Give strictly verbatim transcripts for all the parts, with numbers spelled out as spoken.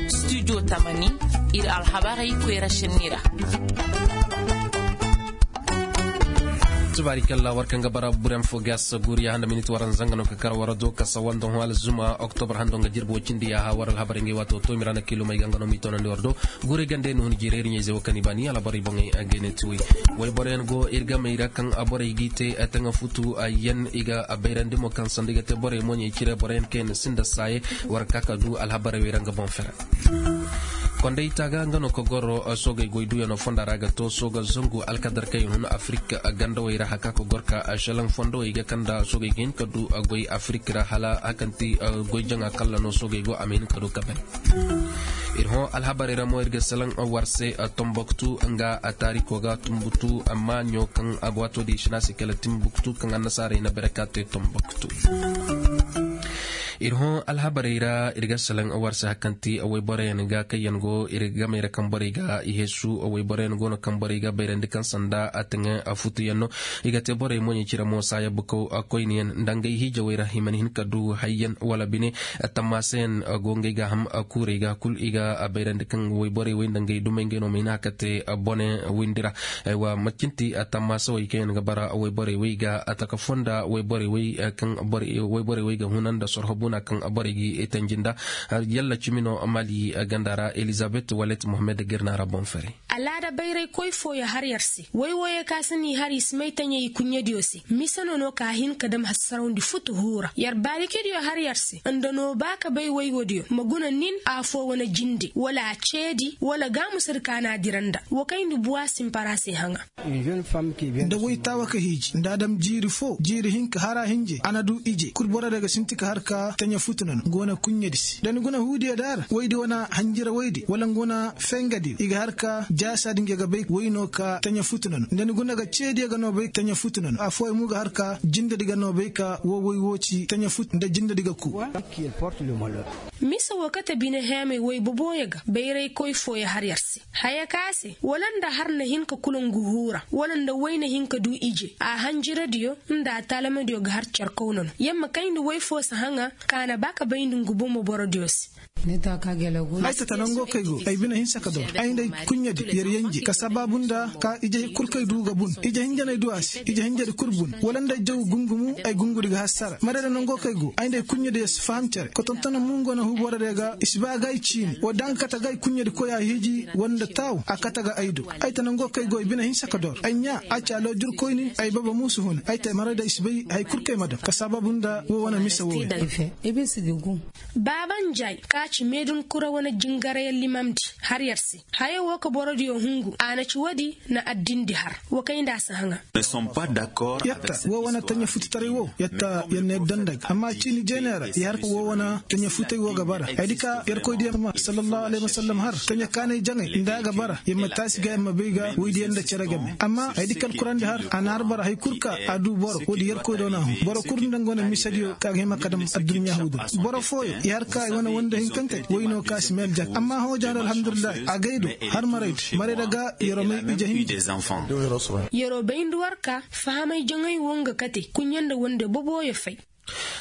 Studio tamani, ir alhabarey koyra šenni ra. Tubaari kalla war kaŋ ga bara burem fo gas guriya handa minit waran zanga no ka kar wara do ka sawanda hõ alzuma oktobar hando nga jirbi wo cindi ya ha war alhabarey ngay wato to mirana kilomey ga nga no mi tonandi war do. Guray gande no hun jireeri ɲayze wo kaŋ i baani alhabarey boŋey a gayne ti way. Way boroyaŋ go ir gamey ra kaŋ a borey g'i te a taŋa futu a yan i ga a bayrandi mo kaŋ sanda i ga te borey moɲey cire boroyaŋ kaŋ yaŋ sinda saaye. War ka ka du alhabarey wey ra nga boŋ fera. Kondey taaga nga no ka goro soogey goy duyano fonda ra ga to sooga zangu alkadar kaŋ yaŋ hun afirik gandawey ra haka ka gor ka šelaŋ fondowey ga kanda soogey ga hin ka du goy afirik ra hala hakanti goy jaŋa kalla no soogey go a ma hin ka du ka bay. Ir hõ alhabarey ra mo ir ga salaŋ war se tomboktu nga taariko ga tumbutu amma ɲo kaŋ a ga waato di i si ne a se kala timbuktu kaŋ annasaarey na bere ka te tomboktu. Ir hõ alhabarey ra ir ga salaŋ war se hakanti wayboroyaŋ ga kaŋ yaŋ go ir gamey ra kaŋ borey ga i heesu wayboroyaŋ go no kaŋ borey ga bayrandi kaŋ sanda a taŋe futuyaŋ no. I ga te borey moɲey cire mo saaya bukaw koyniyaŋ nda ngey hiijawey ra i mana hin ka du hayyaŋ wala bine. Tammaasa yaŋ go ngey ga ham kuurey ga kul i ga bayrandi kaŋ wayborey wey nda ngey dumey ngey no ma hin a ka te bone windi ra. Aywa macinti tammaasawey kaŋ yaŋ ga bara wayborey wey ga taka fonda wayborey wey kaŋ wayborey wey ga huna nda sorho buna kaŋ borey ga i tanji nda. Yalla cimi no mali ganda ra elizabet walet mohammed ga ir na ra boŋ fere. Alaada bayray koy fooyo har yar se way wooyo ka si n'i har i si may taɲey i kuɲɲediyo se mise no no ka hin ka dam hassarawndi futu huura yar baarikediyo har yar se nda no ba ka bay waywodiyo ma guna nin afoo wane jinde wala a ceedi wala gaamusadi ka n'a dira nda wa kayndi buwa simpara se haŋa. Nda way taawa ka hiiji nda a dam jiiri foo jiiri hinka hara hinje a na du ije kul boro day ga sinti ka har ka taɲa futu na no nga wane kuɲɲedi se da ni guna huudiyo daara waydi wane hanjira waydi wala nga wane fengadi i ga har ka jaasaadi nga ga bay way no ka taɲa futu na no nda ni guna ga ceediyo ga no bay taɲa futu na no afooyaŋ mo ga har ka jindadi ga no bay ka woo way woo ci taɲa futu nda jindadi ga kuu. Mise woo kate bine heemey woy bobooyo ga bayraykoy fooyo har yar se haya ka se wala nda har na hin ka kula ngu huura wala nda woy na hin ka du ije a hanjiradiyo nda a taalamadiyo ga har carkaw na no yer ma kayndi woy foo si haŋa ka na ba ka bayndi ngu bomo borodiyo se. Ay tata nango kay go ay bine hinsa ka dor ay nda ay kuɲɲadi yer yenje ka sabaabu nda ka ije kul kay du ga bun ije hinjaney du a se ije hinjadi kul bun wala nda ay jaw gungumu ay gungudi ga hassara marayda nango kay go ay nda ay kuɲɲadi yer si faham cere ka tontona mungo na huuboradiyo ga i si ba ga ay ciini woo da nga kate ga ay kuɲɲadi koy a hiiji wala nda taaw a kate ga ay do. Ay ta nango kay go ay bine hinsa ka dor ay ɲaa a ci aloojurkoyni ay baba muusu huna ay ta ay marayda i si bay haya kul kay ma dam ka sabaabu nda woo wane mise wooyo. Baaba njaay ka ci meedun kura wane jingarayallimamdi har yer se haya woo ka borodiyo hungu a na ci woodi na addindi har wa kay nda a si haŋa. Yer ta woo wane taɲa fututaray woo yer ta yer na yer daŋ nda ga amma ciini jeeney ra yer har ka woo wane taɲa futay woo ga bara hayadi ka yerkoy diyaŋ ma sallallahu alayhi wasallam har taɲa kaanay jaŋay nda a ga bara yer ma taasi ga yer ma bay ga woydiyaŋ nda cere game amma hayadi ka alkurandi har a na har bara hay kul ka a du boro woodi yerkoy do na hun boro kul nda nga wane misediyo ka ga hima ka dam adduɲɲa huudu boro fooyo i har ka i wane wanda hinkankey woy no ka si meel jak amma hoojaŋ ra alhamdulillahi a gay do har marayda marayda ga yeroo may ije hinja. Yeroo bayndi war ka fahamay jaŋay woo nga kate kuɲɲa nda wande bobooyo fay.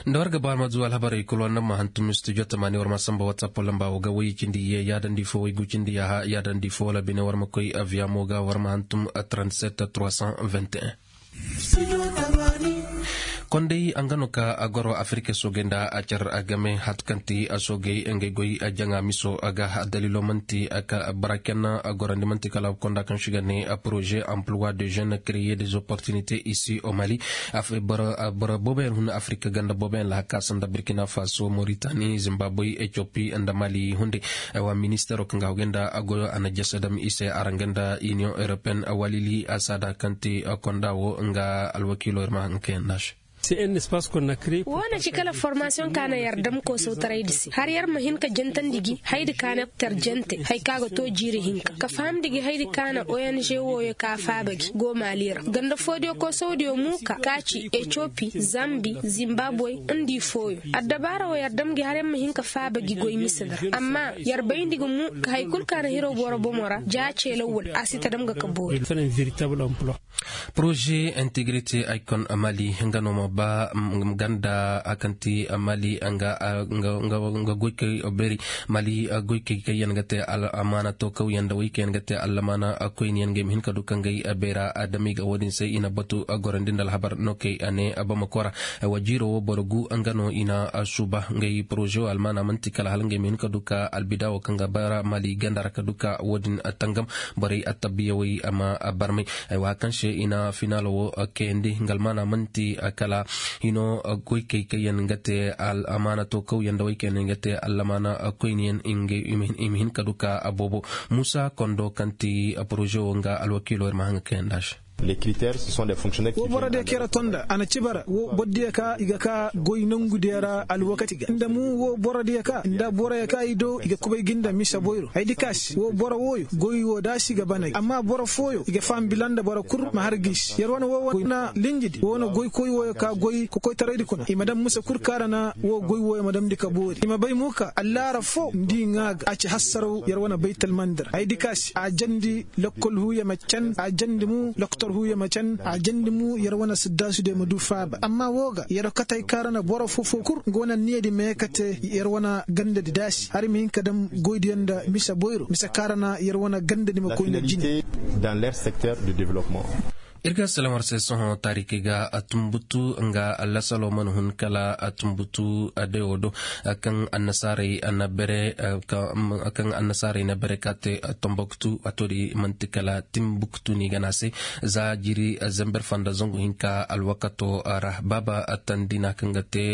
Nda war ga ba war ma du alhabarey kul war na ma hantum studio tamaani war ma samba whatsapp lamba woo ga woy cindi yee yaadandi fo woy gu cindi yaaha yaadandi fo wala bine war ma koy aviamo ga war ma hantum trente-sept trois cent vingt et un. Kondey a nga no ka a goro afirika soogey nda a car a game hatu kaŋ ti a soogey ngey goy a jaŋa miso a ga a daliilo man'ti a ka bara kenna a gorandi man'ti kala konda kaŋ si ga ne a poroze emploi de jeune creye des opportunités ici au mali. Boro booboyaŋ hun afirika ganda booboyaŋ lahaka sanda burkina faso moritani zimbaboy etiopi nda mali hunde. Aywa ministeero kaŋ ga a goy nda a goyo a na jese dam i se araŋ ga nda union européenne walili a saada kaŋ te konda wo nga alwakiilo ir ma haŋ kaŋ yaŋ nda a se. Woo na ci kala formasiyoŋ ka na yar dam koosawtaraydi se har yar ma hin ka jantandi gi haydi ka na tar jante hay ka ga to jiiri hinka ka fahamndi gi haydi ka na ong wooyo ka faaba gi go maali ra ganda foodiyo koosawdiyo muuka ka ci etiopi zambi zimbaboy nda i fooyo. Addabaara woo yar dam gi har yar ma hin ka faaba gi goy misedi ra amma yar bayndi ga mu ka hay kul ka na hiraw boro bomo ra ja ceelaw wul a si ta dam ga ka boori. Poroze integrite ay kon mali nga no ma. Ba ganda a kaŋ ti mali nga goykey beeri mali goykey kaŋ yaŋ ga te alamaana to kawyaŋ da wey kaŋ yaŋ ga te alamaana koyniyaŋ ga ay ma hin ka du kaŋ ga ay beera adami ga wo- din se i na batu gorandi nda alhabar no kay a ne bamako ra. Wa jiiro wo boro gu nga no i na suuba nga ay poroze wo almaana man'ti kala hala nga ay ma hin ka du ka albida wo kaŋ ga bara mali ganda ra ka du ka wo- din tangam borey attabiyawey a ma barmay. Ay wa kaŋ se i na finaalo wo kayandi nga almaana man'ti kala hino goykey kaŋ yaŋ ga te alamaana to kawyaŋ da wey kaŋ yaŋ ga te alamaana koyniyaŋ i ma hin ka du ka boobo. Muusa kondo kaŋ ti poroze wo nga alwakiilo ir ma haŋ ga kayandi a se. Wo borodiyo kaŋ yar a tonda a na ci bara wo borodiyo ka i ga ka goy nongudiyo ra alwakati ga nda mu wo borodiyo ka nda boroyo ka i do i ga kubay ga nda mise boyro ay di ka se wo boro wooyo goy wo daasi ga banay amma boro fooyo i ga faham bila nda boro kul ma har ga i se yar wane wo wane linjidi wo wane goykoy wooyo ka goy kokoytaraydi kuna i ma daŋ mise kul kaŋ a ra na wo goy wooyo ma damndi ka boori i ma bay mo ka allaara foo nda i ŋaa ga a ci hassaraw yar wane baytalmandi ra ay di ka se a jandi lokkol huuya ma can a jandi mo loktor huuya ma can a jandi mo yer wane siddaasudiyo ma du faaba amma woo ga yer katey kaŋ ra na boro foo-foo kul nga wane anniyadi ma ye ka te yer wane gandadi daasi hala i ma hin ka daŋ goydiyo nda mise boyro mise kaŋ ra na yer wane gandadi ma koy nda jine. Ir ga salaŋ war se sohõ taarikey ga tumbutu nga lasaloo mana hun kala tumbutu adayoo do kaŋ annasaarey na bere kaŋ annasaarey na bere ka te tomboktu waatoodi man'ti kala timbuktu no i ga ne a se za jiiri zember fanda zangu hinka alwakatoo ra baaba tandina kaŋ ga te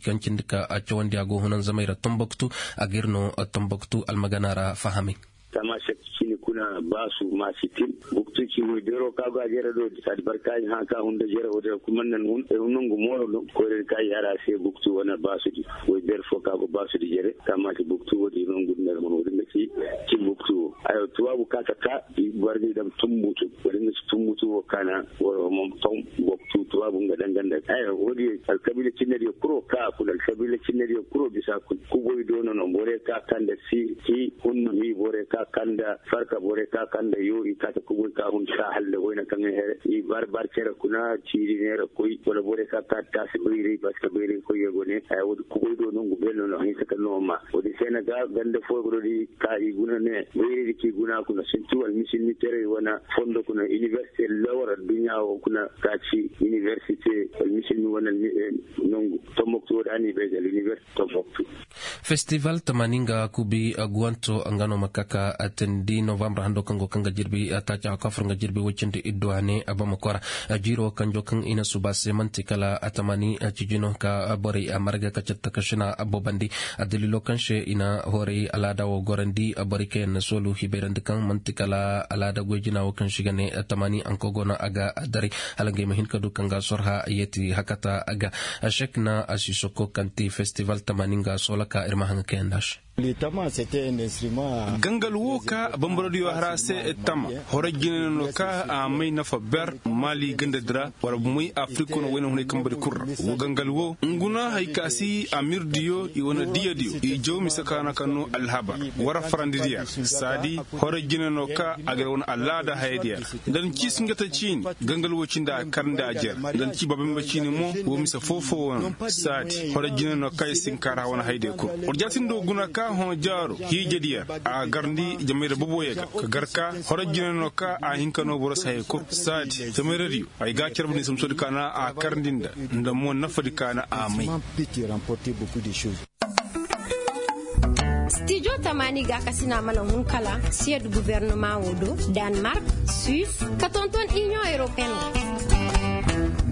kaŋ cindi ka cawandi a go hunanzamey ra tomboktu a ga ir no tomboktu almagana ra fahamay. Tamaasek cini kuna baasu maasi tin buktu ci woy beeroo ka go a jere do saadi barka i hã ka hunda jere wo din ra kul man nan hun ay hun nangu mooro no koyra di ka i har a se buktu wane baasudi woy beer foo ka go baasudi jere tamaasi buktu wo din nangu din ra hun wo din ga ci. Cin buktu wo ayo tubaabu ka ka ka i barga i dam tumbutu wo din ga ci tumbutu wo kaana wara wo man faw buktu tubaabu nga danganda ayo wo din alkabiila cinnediyo kuro ka kuna alkabiila cinnediyo kuro bisa kuna kuboy do no no borey ka kanda si ci hunnu hi borey ka kanda farka borey ka kanda yo i ka ta kuboy ka hun ka hal nda wayna kaŋ i bar bar cere kuna ciiri neera koy wala borey ka ka taasi bayray baska bayray koy yago ne haya wo- din kuboy do no ngu bel no no hinsa ka no ma wo- din se na ga ganda fooyo go no di ka i guna ne bayray di ka i guna kuna sintu almisilmi terey wana fondo kuna inibersite lawar adduɲɲa wo kuna ka ci inibersite almisilmi wana nongu tomboktu wo- din a n'i bay ga alinibersite tomboktu. Festival tamaani nga kubi guwanto nga no ma ka ka teendi novambar hando kaŋ go kaŋ ga jirbi taaci a kafur nga jirbi woy cindi iddu a ne bamako ra. Jiiro kanjo kaŋ i na suuba se man'ti kala tamaani cijino ka borey marga ka catta ka sina boobandi. Daliilo kaŋ se i na horay alaada wo gorandi borey kaŋ yaŋ na soolu hibayrandi kaŋ man'ti kala alaada goy-jina wo kaŋ se i ga ne tamaani hanko go no a ga daray hala ngey ma hin ka du kaŋ ga sorha yeeti hakata ga. Sek na a si soko kaŋ ti festival tamaani nga soola ka ir ma haŋa kayandi a se. Gangal wo ka bambarodiyo har a se tama horay jine no ka a may nafa ber mali gandadi ra wala bumey afirika no wayna hunay kambadi kul ra wo gangal wo nguna hay ka si amirdiyo i wane diyadiyo i jaw mise kaana kaŋ no alhabar wara farandidiyo ra saadi horay jine no ka a ga ir wane alaada hayadiyo ra nda ni ci singata ciini gangal wo cindi a karndi a jer nda ni ci babambe ciini mo wo mise foo-foo wo no saadi horay jine no ka i si hin ka ra wane hayadiyo kul war jaatindi wo guna ka hõ jaaro hiijadiyo ra a garndi jamayra boboyo ga ka gar ka horay jine no ka a hin ka no boro si hayey kul saadi jamayradiyo ay ga a carbu ni samsodi kaana a karndi nda nda mo nafadi kaana a may. Stijo tamaani gaakasina mana hun kala siyad gubernama wo do, danmark, suis ka tonton inion europeen.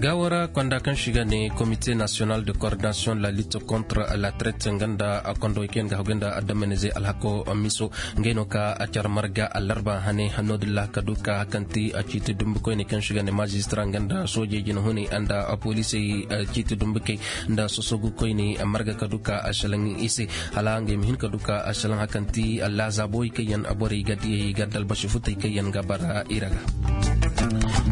Gaawara konda kaŋ si ga ne komite nasiyonal de koordinasiyoŋ la litte kontra la trete nga nda a kondo kaŋ ga hagu nda adamanize alhako miso. Ngey no ka a care marga alarba hane hanno dilla ka du ka hakanti a ciiti dumbi koyne kaŋ si ga ne maajistra nga nda soojey jinahuney nda polisey ciiti dumbi kay nda sosogu koyne marga ka du ka a salaŋ i se. Hala ngey ma hin ka du ka a salaŋ hakanti allaazaabowey kaŋ yaŋ borey ga diyey ga dalbasi futey kaŋ yaŋ ga bara i ra ga.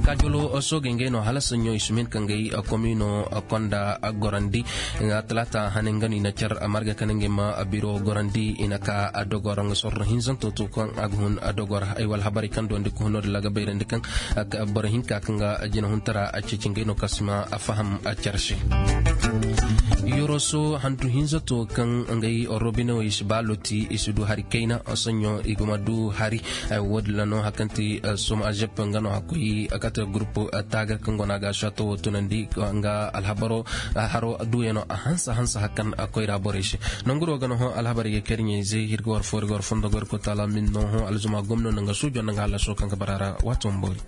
Kaajolo soogey ngey no hala saɲɲo i si ma hin ka ngey komino konda gorandi. Nga talaata hane nga no i na car marga kane ngey ma biro gorandi i na ka dogor nga sorro hinzanto to kaŋ a ga hun dogor ay wala habaray kaŋ dondi ka huno da laga bayrandi kaŋ boro hinka kaŋ ga jina huntara a ceeci ngey no kaŋ si ma faham car se. Yoroso hantu hinza to kaŋ ngey robinewey si ba loti i si du hari kayna saɲɲo i ga ma du hari. Woodin ra no hari kaŋ ti soma azep nga no a koy kate gurupu taagar kaŋ go no a ga a shato wo tunandi nga alhabaro haro duuyano a hanse hanse hari kaŋ a koyra borey se. Nanguro ga no hõ alhabarey ga kay iri ɲayzey iri ga war fo iri ga war fondo ga war koy taala min no hõ alzuma gomno nda nga suujo nda nga hallaso kaŋ ga bara ra waato ma boori.